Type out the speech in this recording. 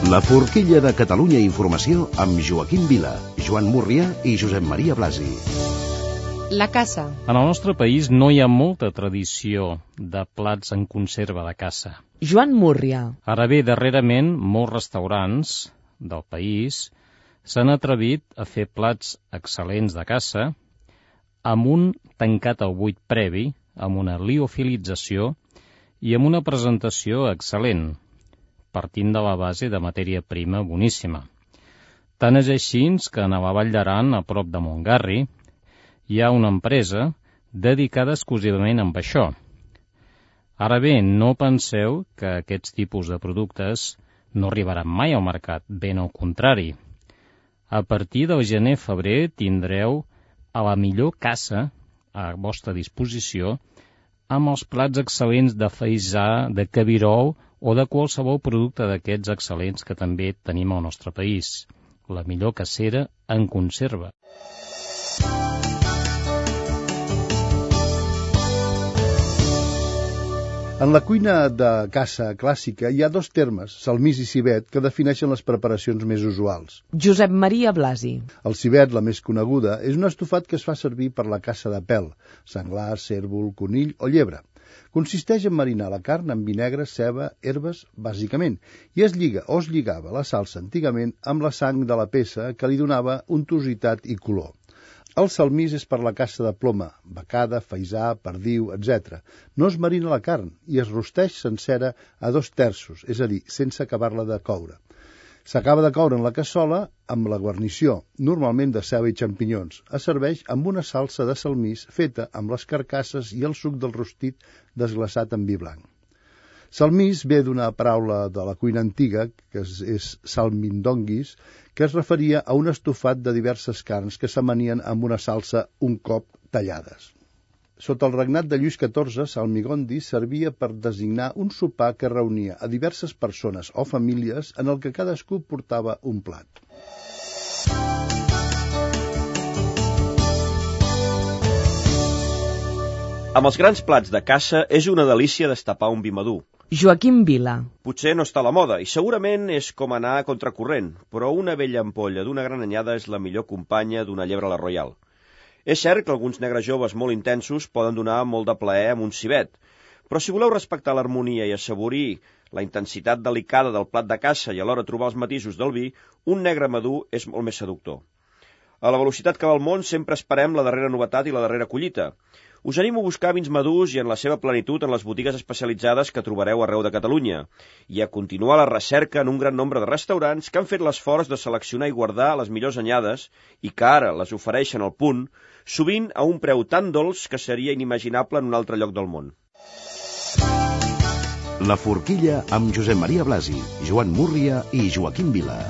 La forquilla de Catalunya Informació amb Joaquim Vila, Joan Múrria i Josep Maria Blasi. La caça. En el nostre país no hi ha molta tradició de plats en conserva de caça. Joan Múrria. Ara bé, darrerament, molts restaurants del país s'han atrevit a fer plats excel·lents de caça amb un tancat al buit previ, amb una liofilització i amb una presentació excel·lent, partint de la base de matèria prima boníssima. Tant és així que a la Vall d'Aran, a prop de Montgarri, hi ha una empresa dedicada exclusivament a això. Ara bé, no penseu que aquests tipus de productes no arribaran mai al mercat, ben al contrari. A partir del gener-febrer tindreu a la millor caça a vostra disposició amb els plats excel·lents de faisà, de cabirol o de qualsevol producte d'aquests excel·lents que també tenim al nostre país. La millor cacera en conserva. En la cuina de caça clàssica hi ha dos termes, salmís i civet, que defineixen les preparacions més usuals. Josep Maria Blasi. El civet, la més coneguda, és un estofat que es fa servir per la caça de pèl, senglar, cérvol, conill o llebre. Consisteix en marinar la carn amb vinegre, ceba, herbes, bàsicament, i es lliga o es lligava la salsa antigament amb la sang de la peça que li donava untositat i color. El salmís és per la caça de ploma, becada, faisà, perdiu, etc. No es marina la carn i es rosteix sencera a 2/3, és a dir, sense acabar-la de coure. S'acaba de coure en la cassola amb la guarnició, normalment de ceba i xampinyons. Es serveix amb una salsa de salmís feta amb les carcasses i el suc del rostit desglaçat en vi blanc. Salmís ve d'una paraula de la cuina antiga, que és salmindonguis, que es referia a un estofat de diverses carns que s'amanien amb una salsa un cop tallades. Sota el regnat de Lluís XIV, salmigondi servia per designar un sopar que reunia a diverses persones o famílies en el que cadascú portava un plat. Amb els grans plats de caça és una delícia destapar un vi madur. Joaquim Vila. Potser no està a la moda i segurament és com anar a contracorrent, però una vella ampolla d'una gran anyada és la millor companya d'una llebre a la Royal. És cert que alguns negres joves molt intensos poden donar molt de plaer amb un civet, però si voleu respectar l'harmonia i assaborir la intensitat delicada del plat de caça i alhora trobar els matisos del vi, un negre madur és molt més seductor. A la velocitat que va el món sempre esperem la darrera novetat i la darrera collita. Us animo a buscar vins madurs i en la seva plenitud en les botigues especialitzades que trobareu arreu de Catalunya i a continuar la recerca en un gran nombre de restaurants que han fet l'esforç de seleccionar i guardar les millors anyades i que ara les ofereixen al punt, sovint a un preu tan dolç que seria inimaginable en un altre lloc del món. La forquilla amb Josep Maria Blasi, Joan Múrria i Joaquim Vila.